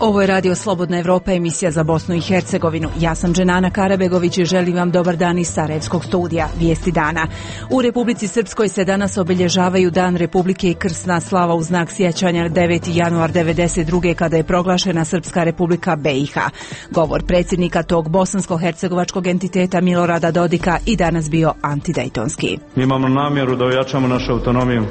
Ovo je Radio Slobodna Evropa, emisija za Bosnu i Hercegovinu. Ja sam Dženana Karabegović i želim vam dobar dan iz Sarajevskog studija. Vijesti dana. U Republici Srpskoj se danas obilježavaju Dan Republike i krsna slava u znak sjećanja 9. januar 1992. kada je proglašena Srpska Republika BiH. Govor predsjednika tog bosansko-hercegovačkog entiteta Milorada Dodika i danas bio antidejtonski. Mi imamo namjeru da ojačamo našu autonomiju.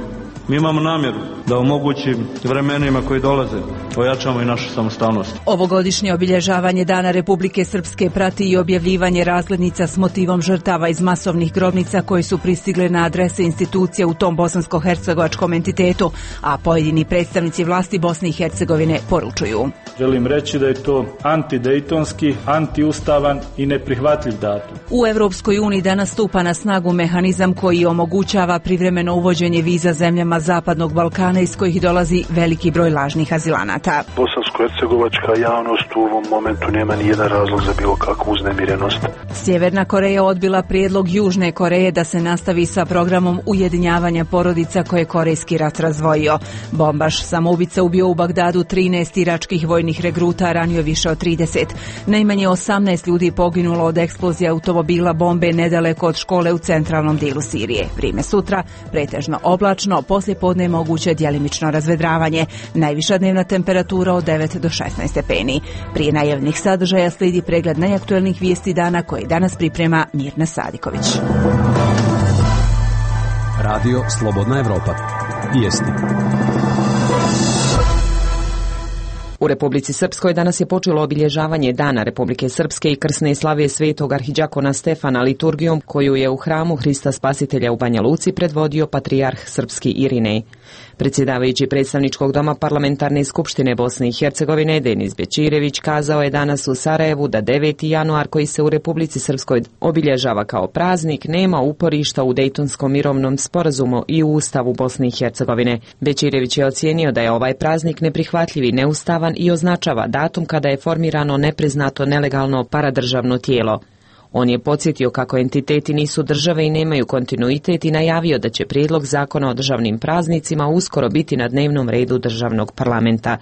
Mi imamo namjeru da u mogućim vremenima koji dolaze ojačamo i našu samostalnost. Ovogodišnje obilježavanje Dana Republike Srpske prati i objavljivanje razglednica s motivom žrtava iz masovnih grobnica koji su pristigle na adrese institucija u tom bosansko-hercegovačkom entitetu, a pojedini predstavnici vlasti Bosne i Hercegovine poručuju. Želim reći da je to antidejtonski, antiustavan i neprihvatljiv datum. U Europskoj uniji danas stupa na snagu mehanizam koji omogućava privremeno uvođenje viza zemljama Zapadnog Balkana iz kojih dolazi veliki broj lažnih azilanata. Bosansko-hercegovačka javnost u ovom momentu nema ni jedan razlog za bilo kakvu uznemirenost. Sjeverna Koreja odbila prijedlog Južne Koreje da se nastavi sa programom ujedinjavanja porodica koje je Korejski rat razdvojio. Bombaš samoubica ubio u Bagdadu 13 iračkih vojnih regruta, ranio više od 30. Najmanje 18 ljudi poginulo od eksplozije automobila bombe nedaleko od škole u centralnom dijelu Sirije. Vrijeme sutra pretežno oblačno, poslijepodne moguće djelimično razvedravanje. Najviša dnevna temperatura od 9 do 16 stepeni. Prije najavnih sadržaja slijedi pregled najaktuelnijih vijesti dana koji danas priprema Mirna Sadiković. Radio Slobodna Evropa. Vijesti. U Republici Srpskoj danas je počelo obilježavanje Dana Republike Srpske i krsne slave svetog arhidjakona Stefana liturgijom koju je u hramu Hrista Spasitelja u Banja Luci predvodio patrijarh srpski Irinej. Predsjedavajući predstavničkog doma Parlamentarne skupštine Bosne i Hercegovine Denis Bećirević kazao je danas u Sarajevu da 9. januar koji se u Republici Srpskoj obilježava kao praznik nema uporišta u Dejtonskom mirovnom sporazumu i u Ustavu Bosne i Hercegovine. Bećirević je ocijenio da je ovaj praznik neprihvatljiv i neustavan i označava datum kada je formirano nepriznato nelegalno paradržavno tijelo. On je podsjetio kako entiteti nisu države i nemaju kontinuitet i najavio da će prijedlog zakona o državnim praznicima uskoro biti na dnevnom redu državnog parlamenta.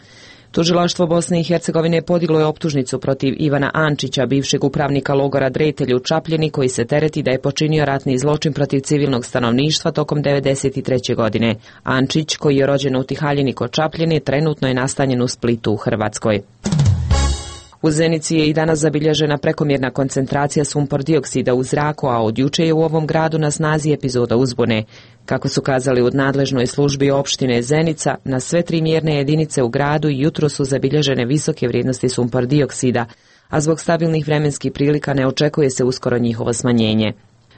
Tužilaštvo Bosne i Hercegovine podiglo je optužnicu protiv Ivana Ančića, bivšeg upravnika logora Dretelj u Čapljini, koji se tereti da je počinio ratni zločin protiv civilnog stanovništva tokom 1993. godine. Ančić, koji je rođen u Tihaljini kod Čapljine, trenutno je nastanjen u Splitu u Hrvatskoj. U Zenici je i danas zabilježena prekomjerna koncentracija sumpor dioksida u zraku, a od juče je u ovom gradu na snazi epizoda uzbune. Kako su kazali u nadležnoj službi opštine Zenica, na sve 3 mjerne jedinice u gradu jutro su zabilježene visoke vrijednosti sumpor dioksida, a zbog stabilnih vremenskih prilika ne očekuje se uskoro njihovo smanjenje.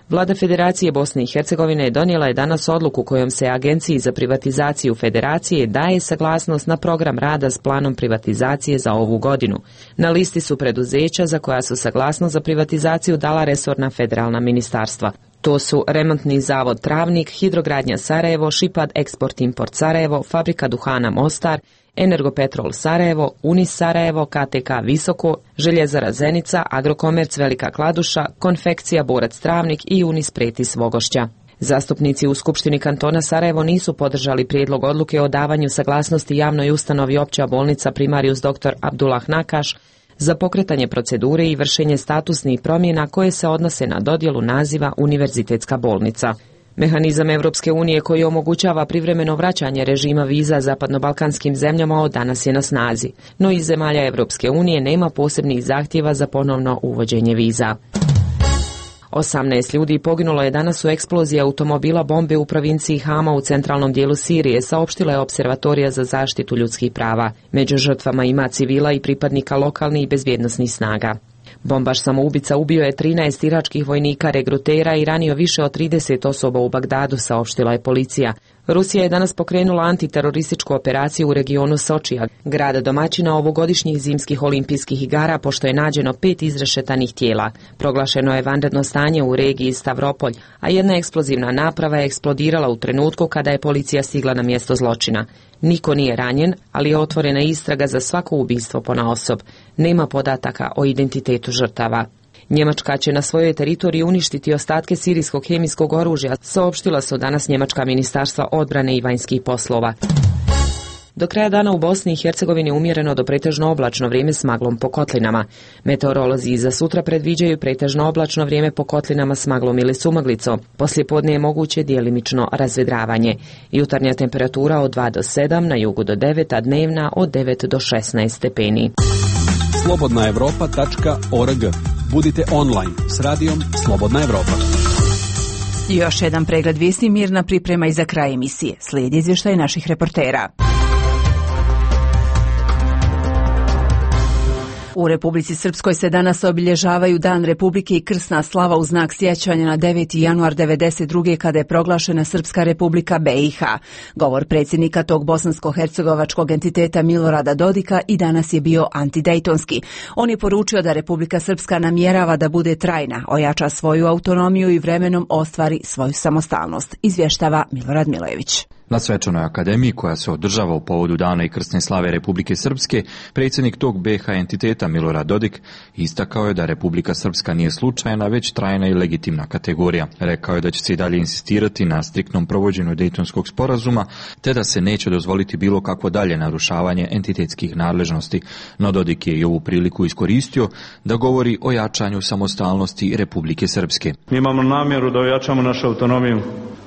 Vlada Federacije Bosne i Hercegovine donijela je danas odluku kojom se Agenciji za privatizaciju Federacije daje saglasnost na program rada s planom privatizacije za ovu godinu. Na listi su preduzeća za koja su saglasnost za privatizaciju dala resorna federalna ministarstva. To su Remontni zavod Travnik, Hidrogradnja Sarajevo, Šipad Eksport Import Sarajevo, Fabrika duhana Mostar, Energopetrol Sarajevo, Unis Sarajevo, KTK Visoko, Željezara Zenica, Agrokomerc Velika Kladuša, Konfekcija Borac Travnik i Unis Pretis Vogošća. Zastupnici u Skupštini kantona Sarajevo nisu podržali prijedlog odluke o davanju saglasnosti javnoj ustanovi Opća bolnica Primarius dr. Abdullah Nakaš za pokretanje procedure i vršenje statusnih promjena koje se odnose na dodjelu naziva Univerzitetska bolnica. Mehanizam Europske unije koji omogućava privremeno vraćanje režima viza zapadnobalkanskim zemljama od danas je na snazi, no iz zemalja Europske unije nema posebnih zahtjeva za ponovno uvođenje viza. 18 ljudi poginulo je danas u eksploziji automobila bombe u provinciji Hama u centralnom dijelu Sirije, saopštila je Observatorija za zaštitu ljudskih prava. Među žrtvama ima civila i pripadnika lokalnih i bezbjednosnih snaga. Bombaš samoubica ubio je 13 iračkih vojnika regrutera i ranio više od 30 osoba u Bagdadu, saopštila je policija. Rusija je danas pokrenula antiterorističku operaciju u regionu Sočija, grada domaćina ovogodišnjih zimskih olimpijskih igara, pošto je nađeno 5 izrešetanih tijela. Proglašeno je vanredno stanje u regiji Stavropolj, a jedna eksplozivna naprava je eksplodirala u trenutku kada je policija stigla na mjesto zločina. Niko nije ranjen, ali je otvorena istraga za svako ubistvo ponaosob. Nema podataka o identitetu žrtava. Njemačka će na svojoj teritoriji uništiti ostatke sirijskog hemijskog oružja, saopštila su danas njemačka ministarstva odbrane i vanjskih poslova. Do kraja dana u Bosni i Hercegovini umjereno do pretežno oblačno vrijeme s maglom po kotlinama. Meteorolozi za sutra predviđaju pretežno oblačno vrijeme po kotlinama s maglom ili sumaglicom. Poslijepodne je moguće djelimično razvedravanje. Jutarnja temperatura od 2 do 7, na jugu do 9, a dnevna od 9 do 16 stepeni. Slobodnaevropa.org. Budite online s radijom Slobodna Evropa. Još jedan pregled vijesti Mirna priprema i za kraj emisije. Slijedi izvještaj naših reportera. U Republici Srpskoj se danas obilježavaju Dan Republike i krsna slava u znak sjećanja na 9. januar 1992. kada je proglašena Srpska Republika BiH. Govor predsjednika tog bosansko-hercegovačkog entiteta Milorada Dodika i danas je bio antidejtonski. On je poručio da Republika Srpska namjerava da bude trajna, ojača svoju autonomiju i vremenom ostvari svoju samostalnost, izvještava Milorad Milojević. Na svečanoj akademiji koja se održava u povodu Dana i krsne slave Republike Srpske, predsjednik tog BiH entiteta Milorad Dodik istakao je da Republika Srpska nije slučajna, već trajna i legitimna kategorija. Rekao je da će se i dalje insistirati na striktnom provođenju Dejtonskog sporazuma, te da se neće dozvoliti bilo kakvo dalje narušavanje entitetskih nadležnosti. No Dodik je i ovu priliku iskoristio da govori o jačanju samostalnosti Republike Srpske. Mi imamo namjeru da ojačamo našu autonomiju.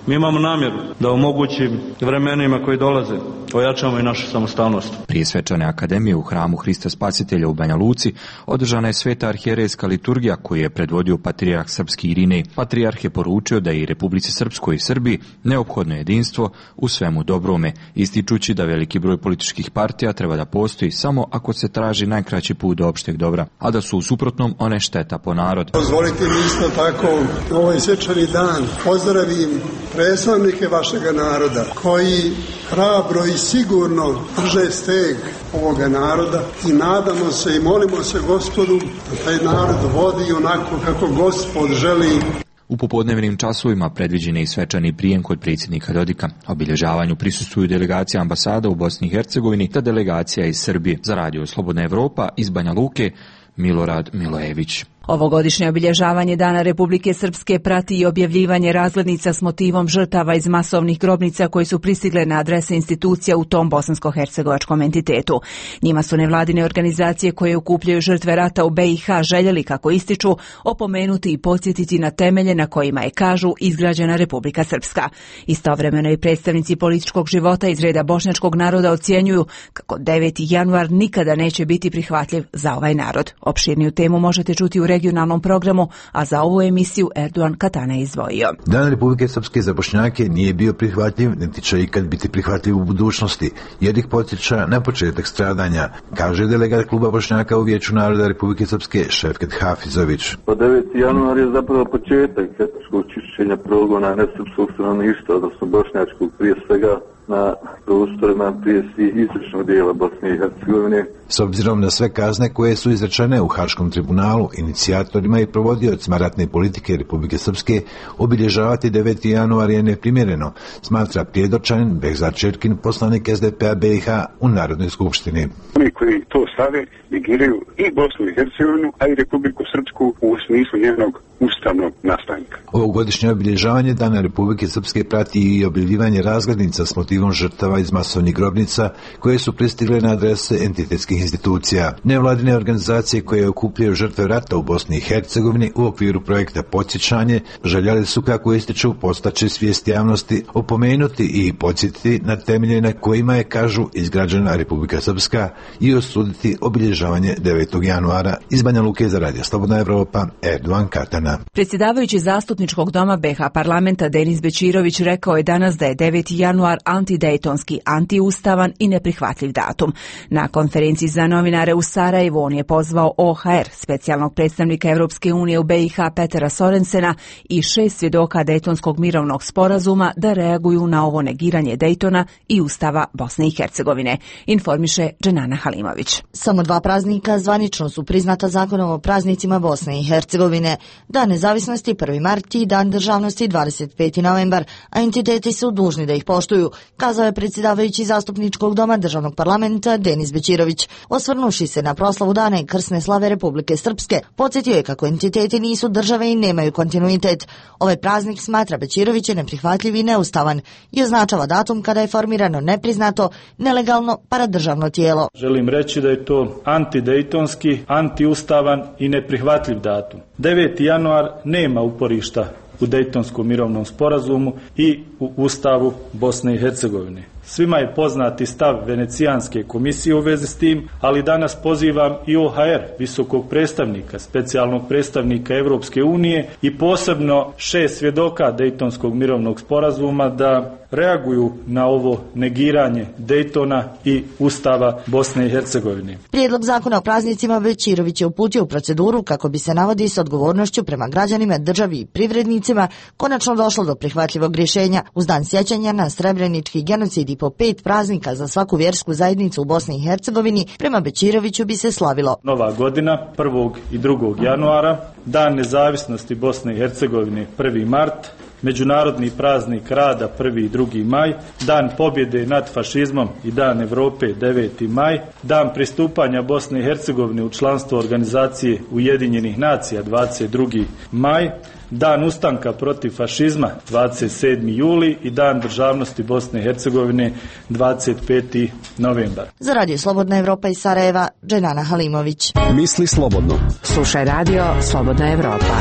Mi imamo namjeru da omogućim vremenima koji dolaze ojačamo i našu samostalnost. Prije svečane akademije u hramu Hrista Spasitelja u Banja Luci održana je sveta arhijerejska liturgija koju je predvodio patrijarh srpski Irinej. Patrijarh je poručio da je i Republici Srpskoj i Srbiji neophodno jedinstvo u svemu dobrome, ističući da veliki broj političkih partija treba da postoji samo ako se traži najkraći put do opšteg dobra, a da su u suprotnom one šteta po narod. Dozvolite mi isto tako ovaj svečani dan pozdravim predstavnike vašega naroda koji hrabro i sigurno drže steg ovoga naroda i nadamo se i molimo se Gospodu da taj narod vodi onako kako Gospod želi. U popodnevnim časovima predviđen je i svečani prijem kod predsjednika Dodika. Obilježavanju prisustvuju delegacija ambasada u Bosni i Hercegovini te delegacija iz Srbije. Za radio Slobodna Evropa iz Banja Luke, Milorad Milojević. Ovogodišnje obilježavanje Dana Republike Srpske prati i objavljivanje razglednica s motivom žrtava iz masovnih grobnica koji su pristigle na adrese institucija u tom bosansko-hercegovačkom entitetu. Njima su nevladine organizacije koje okupljaju žrtve rata u BiH željeli, kako ističu, opomenuti i podsjetiti na temelje na kojima je, kažu, izgrađena Republika Srpska. Istovremeno i predstavnici političkog života iz reda bošnjačkog naroda ocjenjuju kako 9. januar nikada neće biti prihvatljiv za ovaj narod. Opširniju temu možete čuti u regionalnom programu, a za ovu emisiju Erdogan Katana je izdvojio. Dan Republike Srpske za Bošnjake nije bio prihvatljiv, niti će ikad biti prihvatljiv u budućnosti, jer ih podsjeća na početak stradanja, kaže delegat kluba Bošnjaka u Vijeću naroda Republike Srpske Šefket Hafizović. 9. januar je zapravo početak etničkog čišćenja progona nesrpskog stanovništva, odnosno bošnjačkog, prije svega na prostorima prije svih istočnog dijela Bosne i Hercegovine. S obzirom na sve kazne koje su izrečene u Haškom tribunalu, inicijatorima i prevodiocima ratne politike Republike Srpske obilježavati 9. januar je neprimjereno, smatra Prijedočanin Behzad Čerkin, poslanik SDP-a BiH u Narodnoj skupštini. Oni koji to stave negiraju i Bosnu i Hercegovinu, a i Republiku Srpsku u smislu njenog ustavnog nastanka. Ovogodišnje obilježavanje Dana Republike Srpske prati i objavljivanje razglednica s motivom žrtava iz masovnih grobnica koje su pristigle na adrese entitetskih institucija. Nevladine organizacije koje okupljaju žrtve rata u Bosni i Hercegovini u okviru projekta Podsjećanje željeli su, kako ističu, postaći svijest javnosti, opomenuti i podsjetiti na temelje na kojima je, kažu, izgrađena Republika Srpska i osuditi obilježavanje 9. januara. Iz Banja Luke za radio Slobodna Evropa, Erdogan Katana. Predsjedavajući zastupničkog doma BiH parlamenta Denis Bećirović rekao je danas da je 9. januar antidejtonski, antiustavan i neprihvatljiv datum. Na konferenciji za novinare u Sarajevu on je pozvao OHR, specijalnog predstavnika Europske unije u BiH Petera Sorensena i 6 svjedoka Dejtonskog mirovnog sporazuma da reaguju na ovo negiranje Dejtona i Ustava Bosne i Hercegovine, informiše Dženana Halimović. Samo 2 praznika zvanično su priznata zakonom o praznicima Bosne i Hercegovine. Dan nezavisnosti 1. mart i Dan državnosti 25. novembar, a entiteti su dužni da ih poštuju, kazao je predsjedavajući zastupničkog doma državnog parlamenta Denis Bećirović. Osvrnuši se na proslavu dana i krsne slave Republike Srpske, podsjetio je kako entiteti nisu države i nemaju kontinuitet. Ovaj praznik, smatra Bećirović, je neprihvatljiv i neustavan i označava datum kada je formirano nepriznato, nelegalno paradržavno tijelo. Želim reći da je to antidejtonski, antiustavan i neprihvatljiv datum. 9. januar nema uporišta u Dejtonskom mirovnom sporazumu i u Ustavu Bosne i Hercegovine. Svima je poznati stav Venecijanske komisije u vezi s tim, ali danas pozivam i OHR, visokog predstavnika, specijalnog predstavnika Evropske unije i posebno 6 svjedoka Dejtonskog mirovnog sporazuma da reaguju na ovo negiranje Dejtona i Ustava Bosne i Hercegovine. Prijedlog zakona o praznicima Bećirović je uputio u proceduru kako bi se, navodi, s odgovornošću prema građanima, državi i privrednicima konačno došlo do prihvatljivog rješenja uz dan sjećanja na Srebrenički genocid i po 5 praznika za svaku vjersku zajednicu u Bosni i Hercegovini. Prema Bećiroviću bi se slavilo Nova godina 1. i 2. januara, Dan nezavisnosti Bosne i Hercegovine 1. mart, Međunarodni praznik rada 1. i 2. maj, Dan pobjede nad fašizmom i Dan Europe 9. maj, Dan pristupanja Bosne i Hercegovine u članstvo Organizacije Ujedinjenih nacija 22. maj, Dan ustanka protiv fašizma 27. juli i Dan državnosti Bosne i Hercegovine 25. novembar. Za Radio Slobodna Evropa iz Sarajeva, Dženana Halimović. Misli slobodno. Slušaj Radio Slobodna Evropa.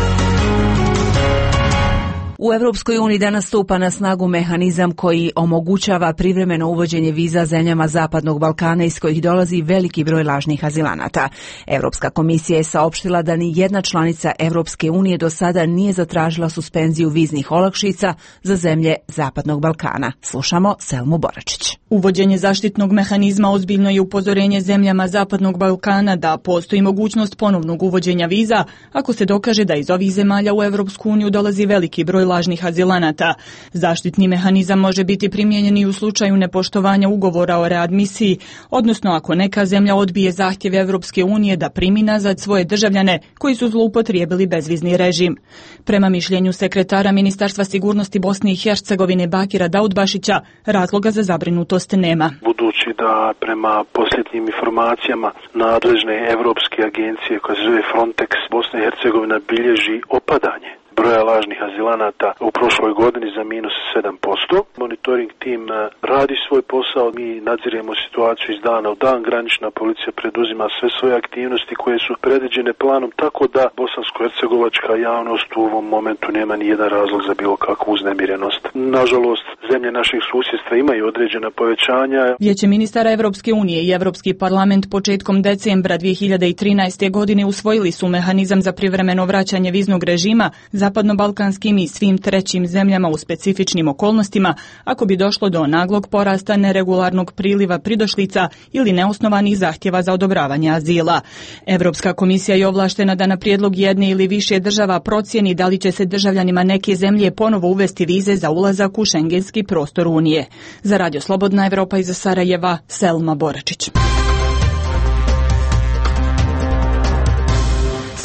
U Europskoj uniji danas stupa na snagu mehanizam koji omogućava privremeno uvođenje viza zemljama Zapadnog Balkana iz kojih dolazi veliki broj lažnih azilanata. Europska komisija je saopštila da ni jedna članica Europske unije do sada nije zatražila suspenziju viznih olakšica za zemlje Zapadnog Balkana. Slušamo Selmu Boračić. Uvođenje zaštitnog mehanizma ozbiljno je upozorenje zemljama Zapadnog Balkana da postoji mogućnost ponovnog uvođenja viza ako se dokaže da iz ovih zemalja u Europsku uniju dolazi veliki broj lažnih azilanata. Zaštitni mehanizam može biti primijenjen i u slučaju nepoštovanja ugovora o readmisiji, odnosno ako neka zemlja odbije zahtjeve Europske unije da primi nazad svoje državljane koji su zloupotrijebili bezvizni režim. Prema mišljenju sekretara Ministarstva sigurnosti Bosne i Hercegovine Bakira Daudbašića, razloga za zabrinutost nema. Budući da prema posljednjim informacijama nadležne evropske agencije koja se zove Frontex, Bosna i Hercegovina bilježi opadanje broja lažnih azilanata u prošloj godini za minus 7%. Monitoring tim radi svoj posao, mi nadziremo situaciju iz dana u dan, granična policija preduzima sve svoje aktivnosti koje su predviđene planom, tako da bosansko-hercegovačka javnost u ovom momentu nema ni jedan razlog za bilo kakvu uznemirenost. Nažalost, zemlje naših susjedstva imaju određena povećanja. Vijeće ministara Evropske unije i Evropski parlament početkom decembra 2013. godine usvojili su mehanizam za privremeno vraćanje viznog režima zapadnobalkanskim i svim trećim zemljama u specifičnim okolnostima ako bi došlo do naglog porasta neregularnog priliva pridošlica ili neosnovanih zahtjeva za odobravanje azila. Evropska komisija je ovlaštena da na prijedlog jedne ili više država procijeni da li će se državljanima neke zemlje ponovo uvesti vize za ulazak u šengenski prostor Unije. Za Radio Slobodna Evropa iz Sarajeva, Selma Boračić.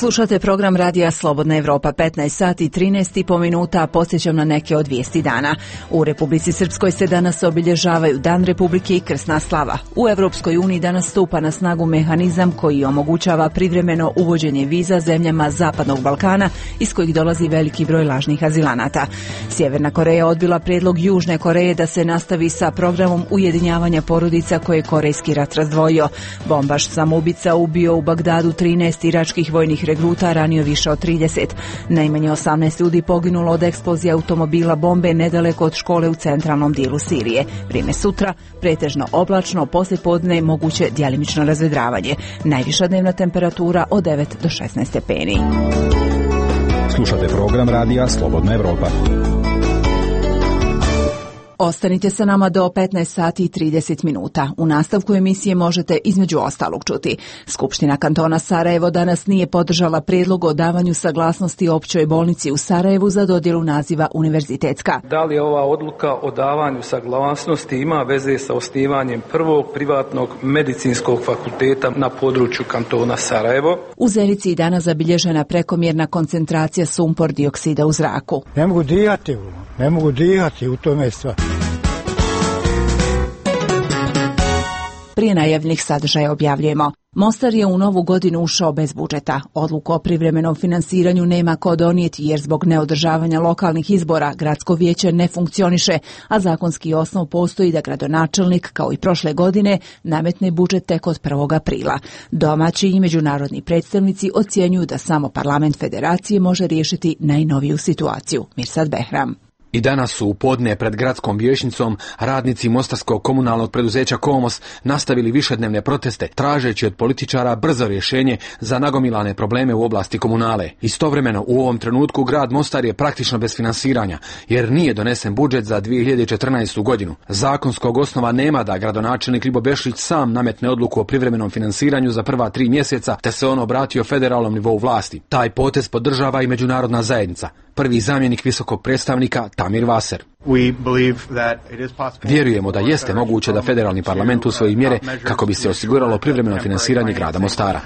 Slušate program Radija Slobodna Evropa, 15 sati i 13 minuta, podsjećam na neke od vijesti dana. U Republici Srpskoj se danas obilježavaju Dan Republike i krsna slava. U Europskoj uniji danas stupa na snagu mehanizam koji omogućava privremeno uvođenje viza zemljama Zapadnog Balkana iz kojih dolazi veliki broj lažnih azilanata. Sjeverna Koreja odbila prijedlog Južne Koreje da se nastavi sa programom ujedinjavanja porodica koje je Korejski rat razdvojio. Bombaš samoubica ubio u Bagdadu 13 iračkih vojnih regruta, ranio više od 30. Najmanje 18 ljudi poginulo od eksplozije automobila bombe nedaleko od škole u centralnom dijelu Sirije. Vrijeme sutra, pretežno oblačno, poslijepodne moguće djelimično razvedravanje. Najviša dnevna temperatura od 9 do 16 stepeni. Slušate program Radija Slobodna Evropa. Ostanite sa nama do 15 sati i 30 minuta. U nastavku emisije možete između ostalog čuti. Skupština kantona Sarajevo danas nije podržala prijedlog o davanju saglasnosti općoj bolnici u Sarajevu za dodjelu naziva univerzitetska. Da li ova odluka o davanju saglasnosti ima veze sa osnivanjem prvog privatnog medicinskog fakulteta na području kantona Sarajevo? U Zenici je danas zabilježena prekomjerna koncentracija sumpor dioksida u zraku. Ne mogu dihati u tome stvari. Prije najavljenih sadržaja objavljujemo. Mostar je u novu godinu ušao bez budžeta. Odluku o privremenom finansiranju nema ko donijeti jer zbog neodržavanja lokalnih izbora gradsko vijeće ne funkcioniše, a zakonski osnov postoji da gradonačelnik, kao i prošle godine, nametne budžet tek od 1. aprila. Domaći i međunarodni predstavnici ocjenjuju da samo parlament federacije može riješiti najnoviju situaciju. Mirsad Behram. I danas su u podne pred gradskom vijećnicom radnici mostarskog komunalnog preduzeća Komos nastavili višednevne proteste, tražeći od političara brzo rješenje za nagomilane probleme u oblasti komunale. Istovremeno u ovom trenutku grad Mostar je praktično bez finansiranja, jer nije donesen budžet za 2014. godinu. Zakonskog osnova nema da gradonačelnik Ljibo Bešlić sam nametne odluku o privremenom finansiranju za prva 3 mjeseca, te se on obratio federalnom nivou vlasti. Taj potez podržava i međunarodna zajednica. Prvi zamjenik visokog predstavnika Tamir Vaser. Vjerujemo da jeste moguće da federalni parlament usvoji mjere kako bi se osiguralo privremeno finansiranje grada Mostara.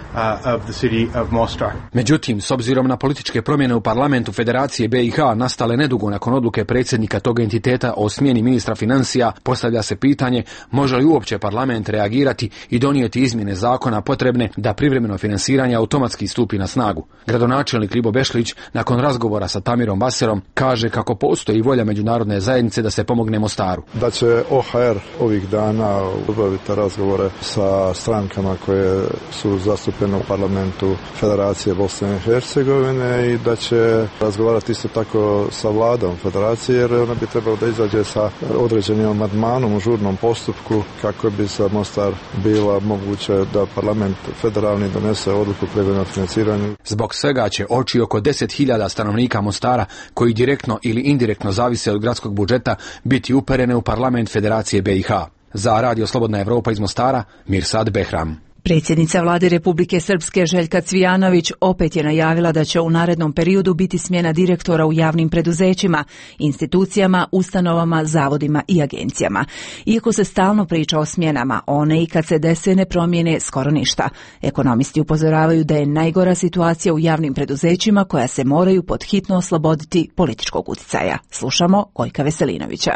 Međutim, s obzirom na političke promjene u parlamentu Federacije BiH nastale nedugo nakon odluke predsjednika tog entiteta o smjeni ministra financija, postavlja se pitanje može li uopće parlament reagirati i donijeti izmjene zakona potrebne da privremeno finansiranje automatski stupi na snagu. Gradonačelnik Ljibo Bešlić nakon razgovora sa Tamirom Vaserom kaže kako postoji volja međunarodne zajednice da se pomogne Mostaru. Da će OHR ovih dana obaviti razgovore sa strankama koje su zastupljene u parlamentu Federacije Bosne i Hercegovine i da će razgovarati isto tako sa vladom Federacije, jer ona bi trebala da izađe sa određenim amandmanom u žurnom postupku kako bi za Mostar bila moguće da parlament federalni donese odluku o privremenom financiranju. Zbog svega će oči oko 10.000 stanovnika Mostara, koji direktno ili indirektno zavise od gradskog budžeta, biti uperene u parlament Federacije BiH. Za Radio Slobodna Evropa iz Mostara, Mirsad Behram. Predsjednica vlade Republike Srpske Željka Cvijanović opet je najavila da će u narednom periodu biti smjena direktora u javnim preduzećima, institucijama, ustanovama, zavodima i agencijama. Iako se stalno priča o smjenama, one i kad se dese ne promijene skoro ništa. Ekonomisti upozoravaju da je najgora situacija u javnim preduzećima koja se moraju pod hitno osloboditi političkog utjecaja. Slušamo Gojka Veselinovića.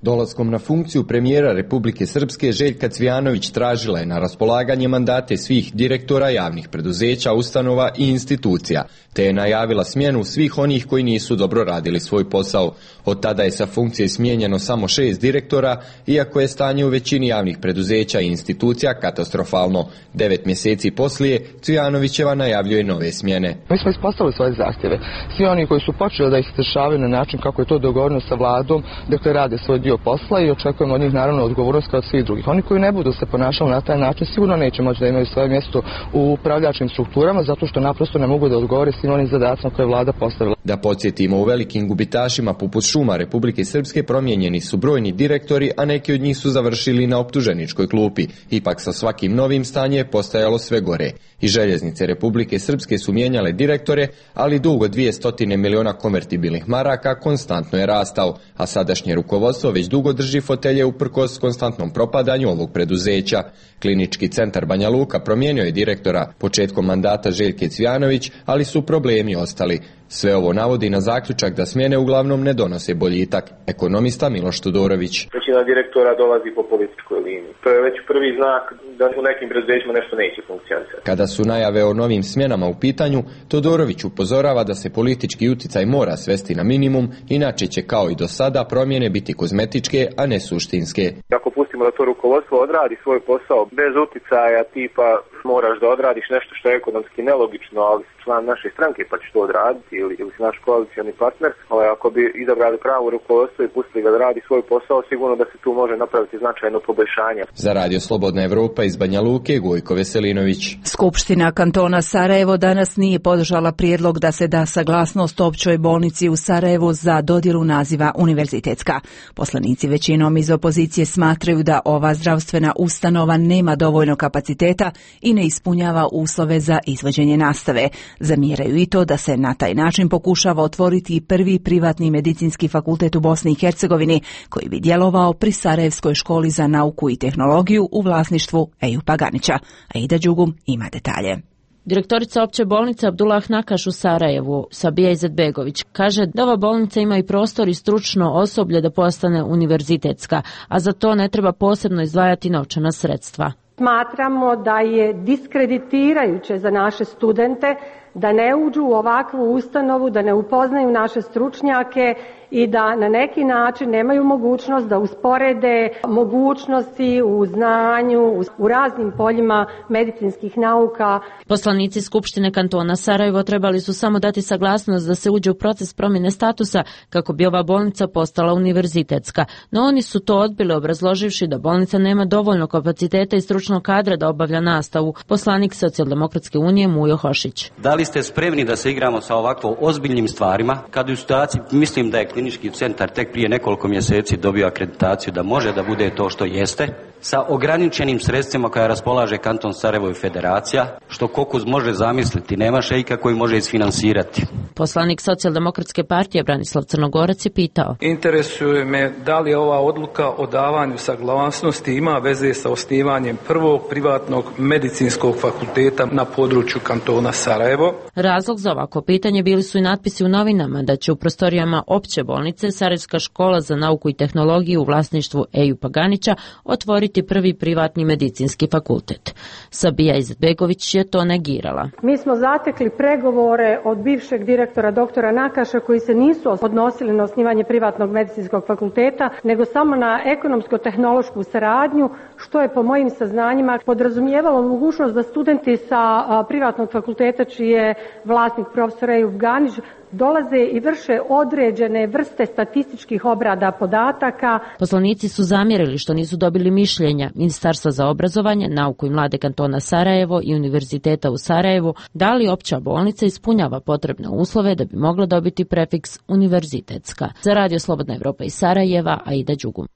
Dolaskom na funkciju premijera Republike Srpske Željka Cvijanović tražila je na raspolaganje mandate svih direktora javnih preduzeća, ustanova i institucija, te je najavila smjenu svih onih koji nisu dobro radili svoj posao. Od tada je sa funkcije smijenjeno samo 6 direktora, iako je stanje u većini javnih preduzeća i institucija katastrofalno. 9 mjeseci poslije, Cvijanovićeva najavljuje nove smjene. Mi smo ispostavili svoje zahtjeve. Svi oni koji su počeli da ih izvršavaju na način kako je to dogovoreno sa vladom, dakle rade svoj dio posla i očekujemo od njih naravno odgovornost kao od svih drugih. Oni koji ne budu se ponašali na taj način sigurno neće moći da imaju svoje mjesto u upravljačkim strukturama zato što naprosto ne mogu da odgovore svim onim zadacima koje je vlada postavila. Da podsjetimo, u velikim gubitašima poput šuma Republike Srpske promijenjeni su brojni direktori, a neki od njih su završili na optuženičkoj klupi. Ipak sa svakim novim stanje je postajalo sve gore. I željeznice Republike Srpske su mijenjale direktore, ali dug od 200 miliona konvertibilnih maraka konstantno je rastao, a sadašnje rukovodstvo već dugo drži fotelje uprkos konstantnom propadanju ovog preduzeća. Klinički centar Banja Luka promijenio je direktora početkom mandata Željke Cvijanović, ali su problemi ostali. Sve ovo navodi na zaključak da smjene uglavnom ne donose boljitak. Ekonomista Miloš Todorović. Većina direktora dolazi po političkoj liniji. To je već prvi znak da u nekim preduzećima nešto neće funkcionirati. Kada su najave o novim smjenama u pitanju, Todorović upozorava da se politički utjecaj mora svesti na minimum, inače će kao i do sada promjene biti kozmetičke, a ne suštinske. Ako pustimo da to rukovodstvo odradi svoj posao bez utjecaja tipa moraš da odradiš nešto što je ekonomski nelogično, ali si član naše stranke pa ćeš to odraditi ili si naš koalicioni partner, ako bi izabrali pravo rukovodstvo i pustili ga da radi svoj posao, sigurno da se tu može napraviti značajno poboljšanje. Za Radio Slobodna Evropa iz Banja Luke, Gojko Veselinović. Skupština kantona Sarajevo danas nije podržala prijedlog da se da saglasnost općoj bolnici u Sarajevu za dodjelu naziva univerzitetska. Poslanici većinom iz opozicije smatraju da ova zdravstvena ustanova nema dovoljno kapaciteta i ne ispunjava uslove za izvođenje nastave. Zamjeraju i to da se na taj način pokušava otvoriti prvi privatni medicinski fakultet u Bosni i Hercegovini koji bi djelovao pri Sarajevskoj školi za nauku i tehnologiju u vlasništvu Ejupa Ganića. Aida Đugum ima detalje. Direktorica opće bolnice Abdullah Nakaš u Sarajevu, Sabija Izetbegović, kaže da ova bolnica ima i prostor i stručno osoblje da postane univerzitetska, a za to ne treba posebno izdvajati novčana sredstva. Smatramo da je diskreditirajuće za naše studente da ne uđu u ovakvu ustanovu, da ne upoznaju naše stručnjake i da na neki način nemaju mogućnost da usporede mogućnosti u znanju, u raznim poljima medicinskih nauka. Poslanici Skupštine kantona Sarajevo trebali su samo dati saglasnost da se uđe u proces promjene statusa kako bi ova bolnica postala univerzitetska, no oni su to odbili obrazloživši da bolnica nema dovoljno kapaciteta i stručnog kadra da obavlja nastavu. Poslanik Socijaldemokratske unije Mujo Hošić. Da li ste spremni da se igramo sa ovako ozbiljnim stvarima kad u situaciji, mislim da je klinički centar tek prije nekoliko mjeseci dobio akreditaciju da može da bude to što jeste, sa ograničenim sredstvima koja raspolaže kanton Sarajevo i federacija, što Kokuz može zamisliti, nema šejka koji može isfinansirati. Poslanik Socijaldemokratske partije Branislav Crnogorac je pitao. Interesuje me da li ova odluka o davanju saglasnosti ima veze sa osnivanjem prvog privatnog medicinskog fakulteta na području kantona Sarajevo. Razlog za ovako pitanje bili su i natpisi u novinama da će u prostorijama opće bolnice Sarajevska škola za nauku i tehnologiju u vlasništvu Eju Paganića otvoriti prvi privatni medicinski fakultet. Sabija Izetbegović je to negirala. Mi smo zatekli pregovore od bivšeg direktora doktora Nakaša koji se nisu odnosili na osnivanje privatnog medicinskog fakulteta, nego samo na ekonomsko-tehnološku saradnju, što je po mojim saznanjima podrazumijevalo mogućnost da studenti sa privatnog fakulteta čiji je vlasnik profesor Ejub Ganić dolaze i vrše određene vrste statističkih obrada podataka. Poslanici su zamjerili što nisu dobili mišljenja Ministarstva za obrazovanje, nauku i mlade kantona Sarajevo i Univerziteta u Sarajevu da li opća bolnica ispunjava potrebne uslove da bi mogla dobiti prefiks univerzitetska. Za Radio Slobodna Evropa iz Sarajeva, Aida Đugum.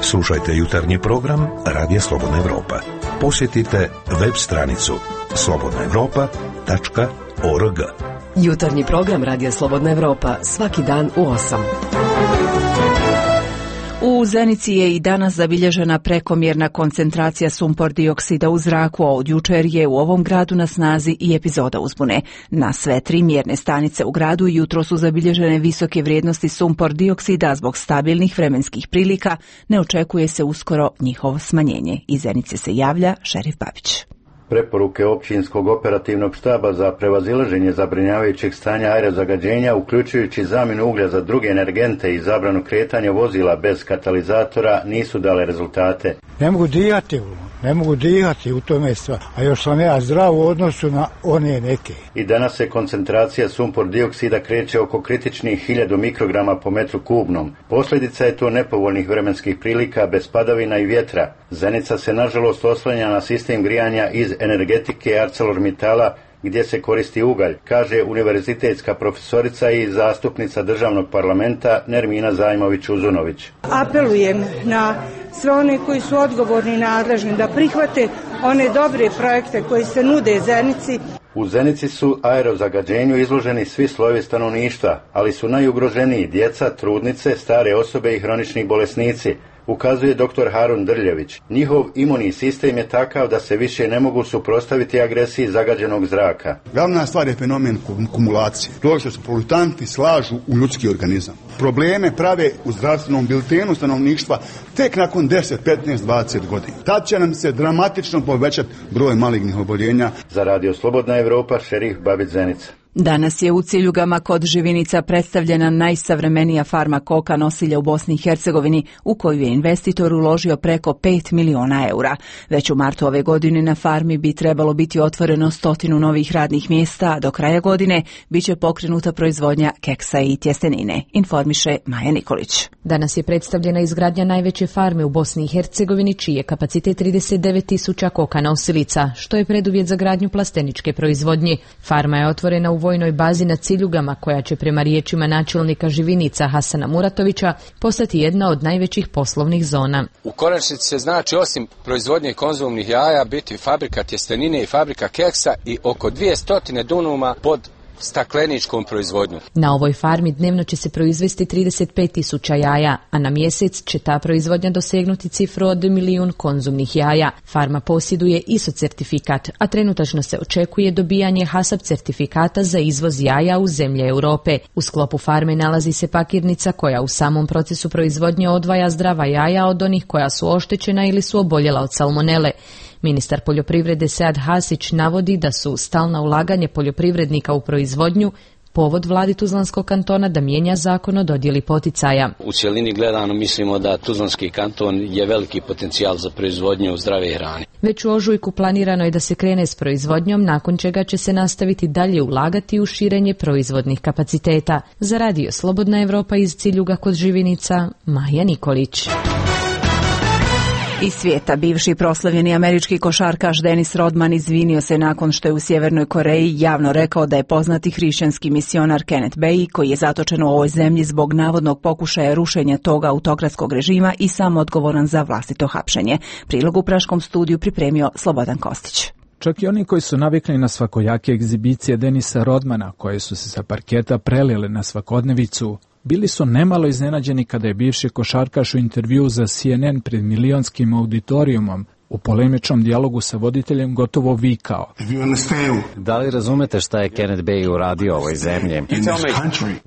Slušajte jutarnji program Radija Slobodna Evropa. Posjetite web stranicu slobodnaevropa.org. Jutarnji program Radija Slobodna Evropa svaki dan u 8. U Zenici je i danas zabilježena prekomjerna koncentracija sumpor dioksida u zraku, a od jučer je u ovom gradu na snazi i epizoda uzbune. Na sve 3 mjerne stanice u gradu jutro su zabilježene visoke vrijednosti sumpor dioksida zbog stabilnih vremenskih prilika. Ne očekuje se uskoro njihovo smanjenje. Iz Zenice se javlja Šerif Babić. Preporuke općinskog operativnog štaba za prevazilaženje zabrinjavajućeg stanja aerozagađenja, uključujući zamjenu uglja za druge energente i zabranu kretanja vozila bez katalizatora, nisu dale rezultate. Ne mogu dihati u tome stvar, a još sam ja zdrav u odnosu na one neke. I danas se koncentracija sumpor dioksida kreće oko kritičnih 1000 mikrograma po metru kubnom. Posljedica je to nepovoljnih vremenskih prilika bez padavina i vjetra. Zenica se nažalost oslanja na sistem grijanja iz energetike ArcelorMittala gdje se koristi ugalj, kaže univerzitetska profesorica i zastupnica državnog parlamenta Nermina Zajmović-Uzunović. Apelujem na sve one koji su odgovorni i nadležni da prihvate one dobre projekte koji se nude Zenici. U Zenici su aerozagađenju izloženi svi slojevi stanovništva, ali su najugroženiji djeca, trudnice, stare osobe i hronični bolesnici, ukazuje dr. Harun Drljević. Njihov imunni sistem je takav da se više ne mogu suprotstaviti agresiji zagađenog zraka. Glavna stvar je fenomen kumulacije. To što se polutanti slažu u ljudski organizam. Probleme prave u zdravstvenom biltenu stanovništva tek nakon 10, 15, 20 godina. Tad će nam se dramatično povećati broj malignih oboljenja. Za Radio Slobodna Evropa, Šerif Babić, Zenica. Danas je u Ciljugama kod Živinica predstavljena najsavremenija farma koka nosilja u Bosni i Hercegovini, u koju je investitor uložio preko 5 miliona eura. Već u martu ove godine na farmi bi trebalo biti otvoreno 100 novih radnih mjesta, a do kraja godine biće pokrenuta proizvodnja keksa i tjestenine, informiše Maja Nikolić. Danas je predstavljena izgradnja najveće farme u Bosni i Hercegovini, čiji je kapacitet 39.000 koka nosilica, što je preduvjet za gradnju plasteničke proizvodnje. Farma je otvorena u vojnoj bazi na Ciljugama, koja će prema riječima načelnika Živinica Hasana Muratovića postati jedna od najvećih poslovnih zona. U konačnici se znači osim proizvodnje konzumnih jaja biti fabrika tjestenine i fabrika keksa i oko 200 dunuma pod stakleničkom proizvodnjom. Na ovoj farmi dnevno će se proizvesti 35.000 jaja, a na mjesec će ta proizvodnja dosegnuti cifru od 1 milijun konzumnih jaja. Farma posjeduje ISO certifikat, a trenutačno se očekuje dobijanje HACCP certifikata za izvoz jaja u zemlje Europe. U sklopu farme nalazi se pakirnica koja u samom procesu proizvodnje odvaja zdrava jaja od onih koja su oštećena ili su oboljela od salmonele. Ministar poljoprivrede Sead Hasić navodi da su stalna ulaganje poljoprivrednika u proizvodnju povod vladi Tuzlanskog kantona da mijenja zakon o dodjeli poticaja. U cjelini gledano mislimo da Tuzlanski kanton je veliki potencijal za proizvodnju zdrave hrane. Već u ožujku planirano je da se krene s proizvodnjom, nakon čega će se nastaviti dalje ulagati u širenje proizvodnih kapaciteta. Za Radio Slobodna Evropa iz Ciljuga kod Živinica, Maja Nikolić. Iz svijeta, bivši proslavljeni američki košarkaš Dennis Rodman izvinio se nakon što je u Sjevernoj Koreji javno rekao da je poznati hrišćanski misionar Kenneth Bae, koji je zatočen u ovoj zemlji zbog navodnog pokušaja rušenja tog autokratskog režima i sam odgovoran za vlastito hapšenje. Prilog u Praškom studiju pripremio Slobodan Kostić. Čak i oni koji su navikli na svakojake egzibicije Dennisa Rodmana, koje su se sa parketa prelile na svakodnevicu, bili su nemalo iznenađeni kada je bivši košarkaš u intervjuu za CNN pred milionskim auditorijumom u polemičnom dijalogu sa voditeljem gotovo vikao: Da li razumete šta je Kenneth Bae uradio ovoj zemlji?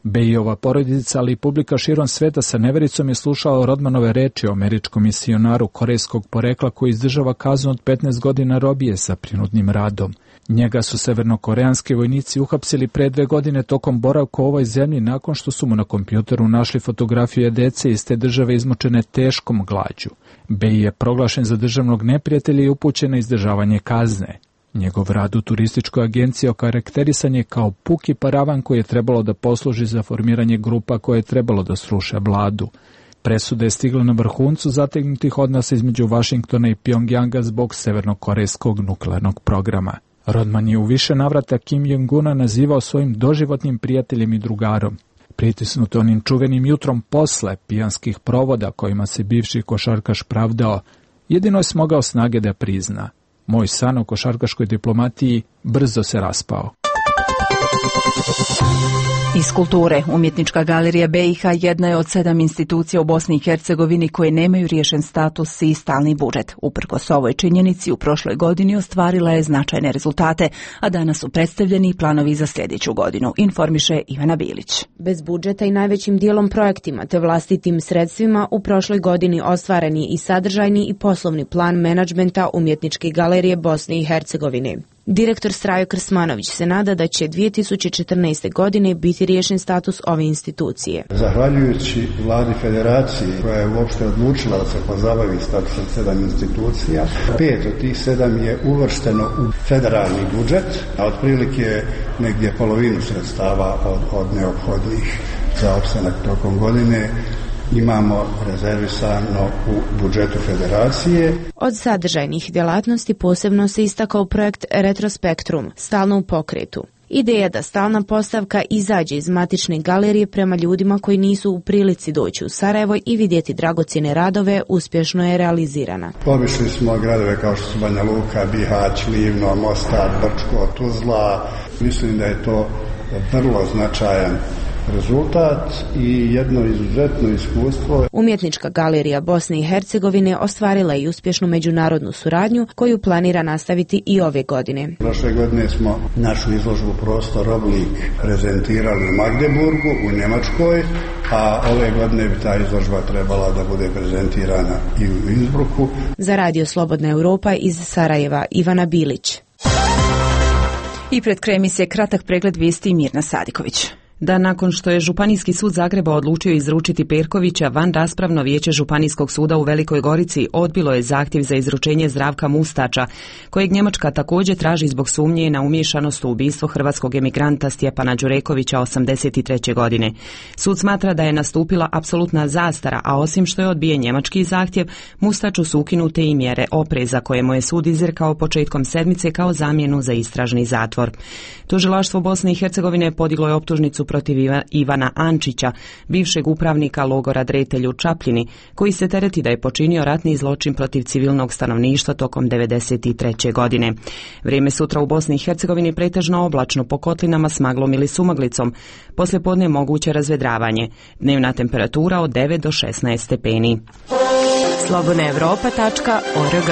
Baeova porodica, ali i publika širom sveta sa nevericom je slušao Rodmanove reči o američkom misionaru korejskog porekla koji izdržava kaznu od 15 godina robije sa prinudnim radom. Njega su severnokoreanski vojnici uhapsili pre 2 godine tokom boravka u ovoj zemlji nakon što su mu na kompjuteru našli fotografije dece iz te države izmučene teškom glađu. Bae je proglašen za državnog neprijatelja i upućen na izdržavanje kazne. Njegov rad u turističkoj agenciji okarakterisan je kao puki paravan koji je trebalo da posluži za formiranje grupa koje je trebalo da sruše vladu. Presuda je stigla na vrhuncu zategnutih odnosa između Vašingtona i Pjongjanga zbog severnokorejskog nuklearnog programa. Rodman je u više navrata Kim Jong-una nazivao svojim doživotnim prijateljem i drugarom. Pritisnut onim čuvenim jutrom posle pijanskih provoda kojima se bivši košarkaš pravdao, jedino je smogao snage da prizna: moj san o košarkaškoj diplomatiji brzo se raspao. Iz kulture, Umjetnička galerija BiH jedna je od 7 institucija u Bosni i Hercegovini koje nemaju riješen status i stalni budžet. Uprkos ovoj činjenici, u prošloj godini ostvarila je značajne rezultate, a danas su predstavljeni planovi za sljedeću godinu, informiše Ivana Bilić. Bez budžeta i najvećim dijelom projektima te vlastitim sredstvima u prošloj godini ostvaren je i sadržajni i poslovni plan menadžmenta Umjetničke galerije Bosne i Hercegovine. Direktor Strajo Krsmanović se nada da će 2014. godine biti riješen status ove institucije. Zahvaljujući vladi federacije koja je uopšte odlučila da se pozabavi statusom 7 institucija, 5 od tih 7 je uvršteno u federalni budžet, a otprilike negdje polovinu sredstava od neophodnih za opstanak tokom godine imamo rezervisano u budžetu federacije. Od sadržajnih djelatnosti posebno se istakao projekt Retrospektrum, stalno u pokretu. Ideja da stalna postavka izađe iz matične galerije prema ljudima koji nisu u prilici doći u Sarajevo i vidjeti dragocjene radove uspješno je realizirana. Obišli smo gradove kao što su Banja Luka, Bihać, Livno, Mostar, Brčko, Tuzla. Mislim da je to vrlo značajan rezultat i jedno izuzetno iskustvo. Umjetnička galerija Bosne i Hercegovine ostvarila je i uspješnu međunarodnu suradnju koju planira nastaviti i ove godine. Prošle godine smo našu izložbu Prostor oblik prezentirali u Magdeburgu, u Njemačkoj, a ove godine bi ta izložba trebala da bude prezentirana i u Innsbrucku. Za Radio Slobodna Evropa iz Sarajeva, Ivana Bilić. I pred kraj emisije kratak pregled vijesti Mirna Sadiković. Da nakon što je Županijski sud Zagreba odlučio izručiti Perkovića, van raspravno vijeće Županijskog suda u Velikoj Gorici odbilo je zahtjev za izručenje Zdravka Mustača, kojeg Njemačka također traži zbog sumnje na umiješanost u ubistvo hrvatskog emigranta Stjepana Đurekovića 83. godine. Sud smatra da je nastupila apsolutna zastara, a osim što je odbijen njemački zahtjev, Mustaču su ukinute i mjere opreza koje mu je sud izrekao početkom sedmice kao zamjenu za istražni zatvor. Tužilaštvo Bosne i Hercegovine podiglo je optužnicu protiv Ivana Ančića, bivšeg upravnika logora Dretelj u Čapljini, koji se tereti da je počinio ratni zločin protiv civilnog stanovništva tokom 1993. godine. Vrijeme sutra u Bosni i Hercegovini pretežno oblačno, po kotlinama s maglom ili sumaglicom. Poslijepodne moguće razvedravanje. Dnevna temperatura od 9 do 16 stepeni. slobodnaevropa.org.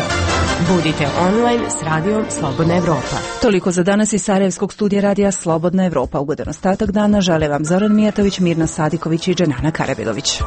Budite online s radijom Slobodna Evropa. Toliko za danas iz Sarajevskog studija radija Slobodna Evropa. Ugodan ostatak dana žele vam Zoran Mijatović, Mirna Sadiković i Dženana Karabelović.